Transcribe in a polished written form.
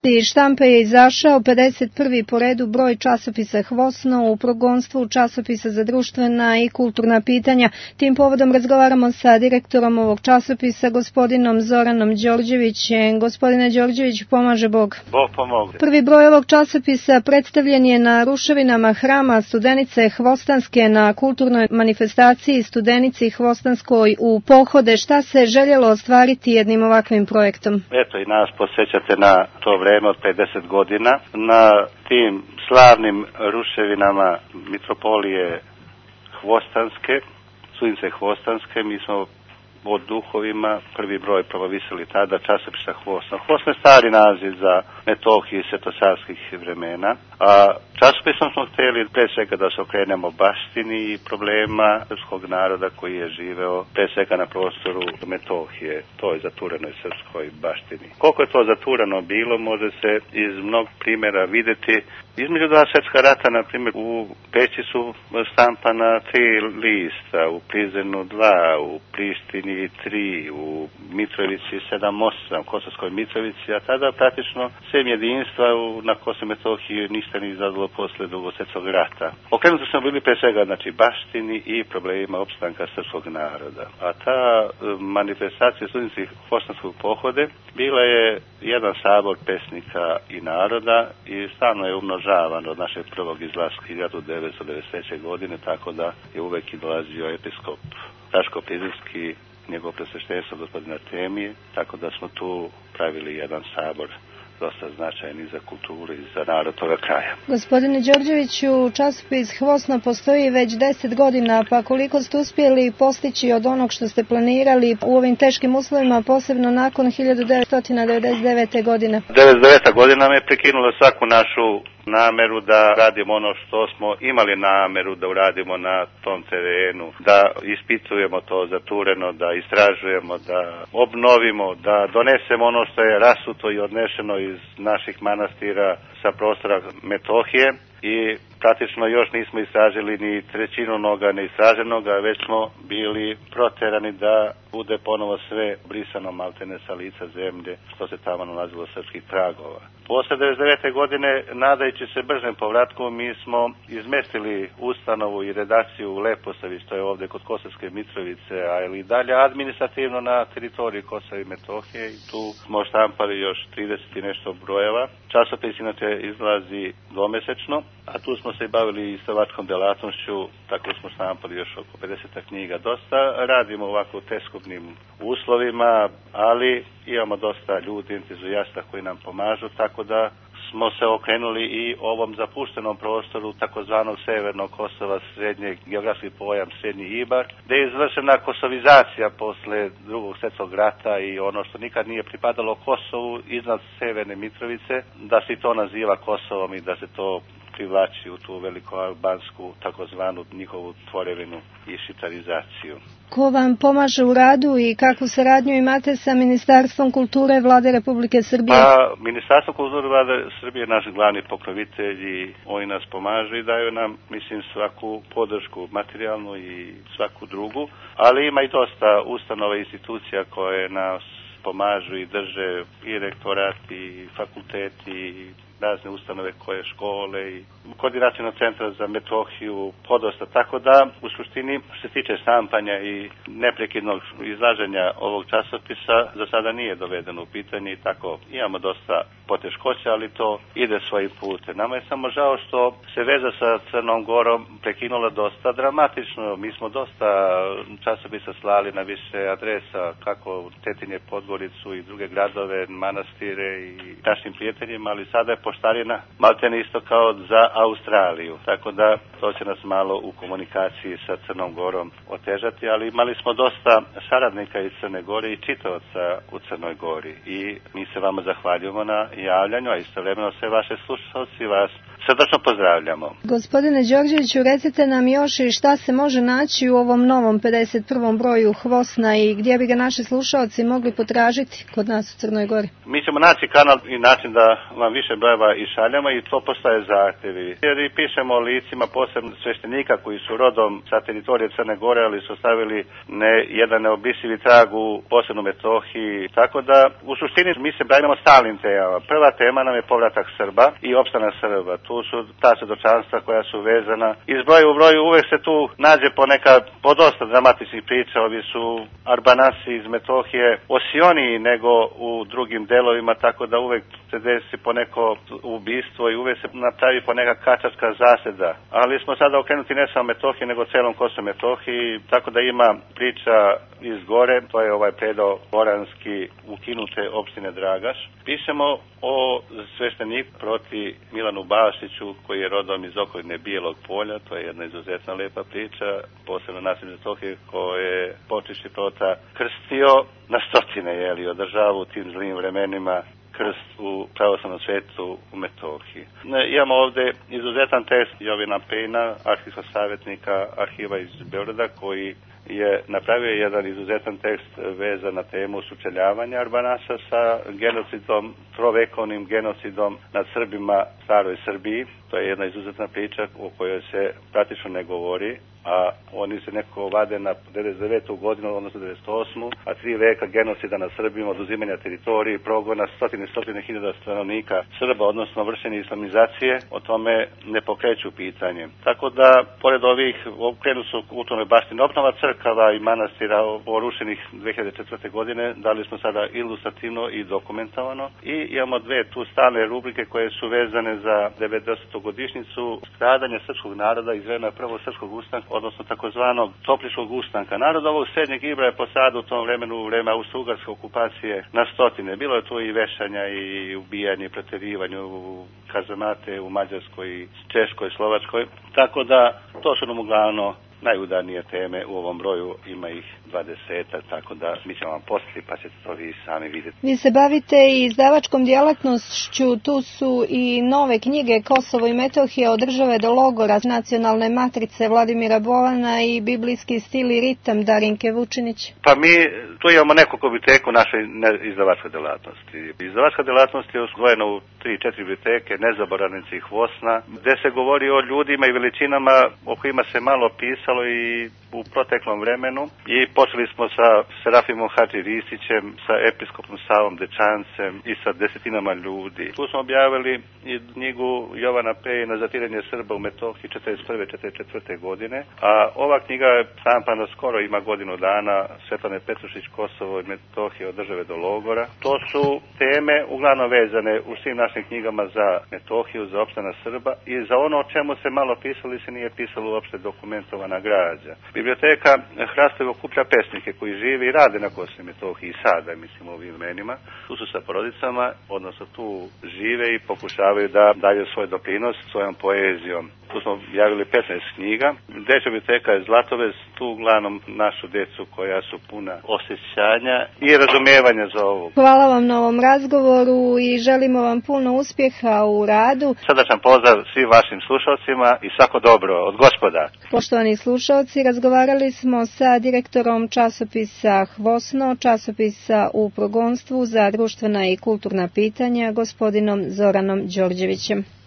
Iz štampe je izašao 51. po redu broj časopisa Hvosno u progonstvu časopisa za društvena i kulturna pitanja. Tim povodom razgovaramo sa direktorom ovog časopisa, gospodinom Zoranom Đorđevićem. Gospodine Đorđević, pomaže Bog. Bog pomogne. Prvi broj ovog časopisa predstavljen je na ruševinama hrama Studenice Hvostanske na kulturnoj manifestaciji Studenici Hvostanskoj u Pohode. Šta se željelo ostvariti jednim ovakvim projektom? Eto, i nas posjećate na to vreme od 50 godina. Na tim slavnim ruševinama mitropolije Hvostanske, Studenice Hvostanske, mi smo o duhovima prvi broj promovisali tada časopisa Hvosno. Hvosno je stari naziv za Metohiju svetosavskih vremena, a časopisom smo htjeli pre svega da se okrenemo baštini i problema srpskog naroda koji je živeo pre svega na prostoru Metohije, toj zaturenoj srpskoj baštini. Koliko je to zaturano bilo, može se iz mnog primjera vidjeti. Između dva svjetska rata, na primjer, u Peći su štampana 3 lista, u Prizrenu 2, u Prištini 3, u Mitrovici 7-8, Kosovskoj Mitrovici, a tada praktično sem jedinstva na Kosovo i Metohiji ništa nije izazvalo posle Drugog svjetskog rata. Okrenuti smo bili pre svega baštini i problemima opstanka srpskog naroda. A ta manifestacija Studenici Hvostanskog pohode bila je jedan sabor pesnika i naroda i stalno je umnožavan od našeg prvog izlaska 1993. godine, tako da je uvek i dolazio episkop Raško Prizrenski, njegov presveštenstvo gospodina Temije, tako da smo tu pravili jedan sabor dosta značajan i za kulturu i za narod toga kraja. Gospodine Đorđeviću, časopis Hvosno postoji već 10 godina, pa koliko ste uspjeli postići od onog što ste planirali u ovim teškim uslovima, posebno nakon 1999. godine? 1999. godina me prekinula svaku našu nameru da radimo ono što smo imali nameru da uradimo na tom terenu, da ispitujemo to zatureno, da istražujemo, da obnovimo, da donesemo ono što je rasuto i odnešeno iz naših manastira sa prostora Metohije i praktično još nismo istražili ni trećinu onoga neistraženoga, već smo bili proterani da bude ponovo sve brisano maltene sa lica zemlje što se tamo nalazilo srpskih tragova. Posle 1999. godine, nadajući se bržem povratku, mi smo izmestili ustanovu i redakciju u Leposavi, što je ovdje kod Kosovske Mitrovice, ali i dalje administrativno na teritoriji Kosova i Metohije, i tu smo štampali još 30 i nešto brojeva. Časopis inače izlazi dvomesečno, a tu smo se i bavili izdavačkom delatnošću, tako smo štampali još oko 50 knjiga. Dosta radimo ovako u teskobnim uslovima, ali imamo dosta ljudi, entuzijasta koji nam pomažu, tako da smo se okrenuli i ovom zapuštenom prostoru takozvanog severnog Kosova, srednjeg geografski pojam Srednji Ibar, gde je izvršena kosovizacija posle Drugog svjetskog rata i ono što nikad nije pripadalo Kosovu iznad Severne Mitrovice, da se to naziva Kosovom i da se to privlači u tu velikoalbansku takozvanu njihovu tvorevinu i šiptarizaciju. Ko vam pomaže u radu i kakvu saradnju imate sa Ministarstvom kulture Vlade Republike Srbije? Pa, Ministarstvo kulture Vlade Srbije je naš glavni pokrovitelj i oni nas pomažu i daju nam, mislim, svaku podršku materijalnu i svaku drugu, ali ima i dosta ustanova i institucija koje nas pomažu i drže, i rektorat, i fakulteti, i razne ustanove koje škole i koordinacijnog centra za Metohiju, podosta. Tako da, u suštini, što se tiče štampanja i neprekidnog izlaženja ovog časopisa, za sada nije dovedeno u pitanje i tako imamo dosta poteškoća, ali to ide svojim putem. Nama je samo žao što se veza sa Crnom Gorom prekinula dosta dramatično. Mi smo dosta časopisa slali na više adresa, kako Tetinje, Podgoricu i druge gradove, manastire i našim prijateljima, ali sada je poštarina maltene isto kao za Australiju, tako da to će nas malo u komunikaciji sa Crnom Gorom otežati, ali imali smo dosta saradnika iz Crne Gore i čitavaca u Crnoj Gori i mi se vama zahvaljujemo na javljanju, a istovremeno sve vaše slušalci vas srdačno pozdravljamo. Gospodine Đorđeviću, recite nam još i šta se može naći u ovom novom 51. broju Hvosna i gdje bi ga naši slušalci mogli potražiti kod nas u Crnoj Gori? Mi ćemo naći kanal i način da vam više brojeva i šaljamo i to postaje zahtjevi. Jer i pišemo o licima posebno sveštenika koji su rodom sa teritorije Crne Gore, ali su stavili jedan neobisivi trag u posebnu Metohiji. Tako da u suštini mi se bavimo stalnim temama. Prva tema nam je povratak Srba i opstanak Srba. Tu su ta svjedočanstva koja su vezana. Iz broja u broju uvek se tu nađe poneka podosta dramatičnih priča. Ovi su Arbanasi iz Metohije osioniji nego u drugim delovima, tako da uvek se desi poneko ubistvo i uvek se napravi poneka kačarska zaseda. Ali smo sada okrenuti ne samo Metohiji, nego celom Kosovu Metohiji, tako da ima priča iz gore, to je ovaj predo Boranski ukinute opštine Dragaš. Pišemo o svešteniku proti Milanu Bašiću, koji je rodom iz okoline Bijelog polja, to je jedna izuzetna lepa priča, posebno nas iz Metohije, koje je Počišći prota krstio na stotine, održava u tim zlim vremenima krst u pravoslavnom svetu u Metohiji. Imamo ovde izuzetan tekst Jovina Pejna, arhivskog savjetnika arhiva iz Beograda, koji je napravio jedan izuzetan tekst vezan na temu sučeljavanja Arbanasa sa genocidom, trovekovnim genocidom nad Srbima staroj Srbiji. To je jedna izuzetna priča o kojoj se praktično ne govori, a oni se nekako vade na 99. godinu, odnosno 98. a 3 veka genocida nad Srbima, oduzimanja teritoriji, progona stotine hiljada stanovnika Srba, odnosno vršenje islamizacije, o tome ne pokreću pitanje. Tako da, pored ovih, krenu su kulturnoj baštini obnova crkava i manastira porušenih 2004. godine, dali smo sada ilustrativno i dokumentovano i imamo 2 tu stalne rubrike koje su vezane za 90. godišnjicu stradanja srpskog naroda iz vremena prvog srpskog ustanka, odnosno takozvanog Topličkog ustanka. Narod ovog srednjeg Ibra je posada u tom vremenu, u vreme austrougarske okupacije, na stotine. Bilo je tu i vešanja i ubijanje i preterivanje u kazamate u Mađarskoj, Češkoj, Slovačkoj. Tako da to su nam uglavnom najudarnije teme u ovom broju, ima ih 20, tako da mi ćemo vam poslati pa ćete to vi sami vidjeti. Vi se bavite i izdavačkom djelatnošću, tu su i nove knjige Kosovo i Metohija od države do logora, nacionalne matrice Vladimira Bolana i biblijski stil i ritam Darinke Vučinić. Pa mi tu imamo nekoliko biblioteku našoj izdavačkoj djelatnosti. Izdavačka djelatnost je usvojena u 3-4 biblioteke, Nezaboravnici i Hvosna, gde se govori o ljudima i veličinama o kojima se malo pisalo i u proteklom vremenu i počeli smo sa Serafimom Hadži Ristićem, sa episkopom Savom Dečancem i sa desetinama ljudi. Tu smo objavili i knjigu Jovana Pejna Zatiranje Srba u Metohiji 41-44. godine, a ova knjiga je štampana skoro, ima godinu dana, Svetlane Petrušić, Kosovo i Metohija od države do logora. To su teme uglavnom vezane u svim našim knjigama za Metohiju, za opstanak Srba i za ono o čemu se malo pisalo se nije pisalo uopšte dokumentovana građa. Biblioteka Hrastovo okuplja pesnike koji žive i rade na Kosovu i Metohiji i sada, mislim, u ovim imenima. Tu su sa porodicama, odnosno tu žive i pokušavaju da daju svoj doprinos svojom poezijom. Tu smo javili 15 knjiga. Dečja biblioteka je Zlatovez, tu uglavnom našu decu koja su puna osjećanja i razumijevanja za ovo. Hvala vam na ovom razgovoru i želimo vam puno uspjeha u radu. Srdačan pozdrav svim vašim slušalcima i svako dobro od Gospoda. Poštovani slušalci, razgovarali smo sa direktorom časopisa Hvosno, časopisa u progonstvu za društvena i kulturna pitanja, gospodinom Zoranom Đorđevićem.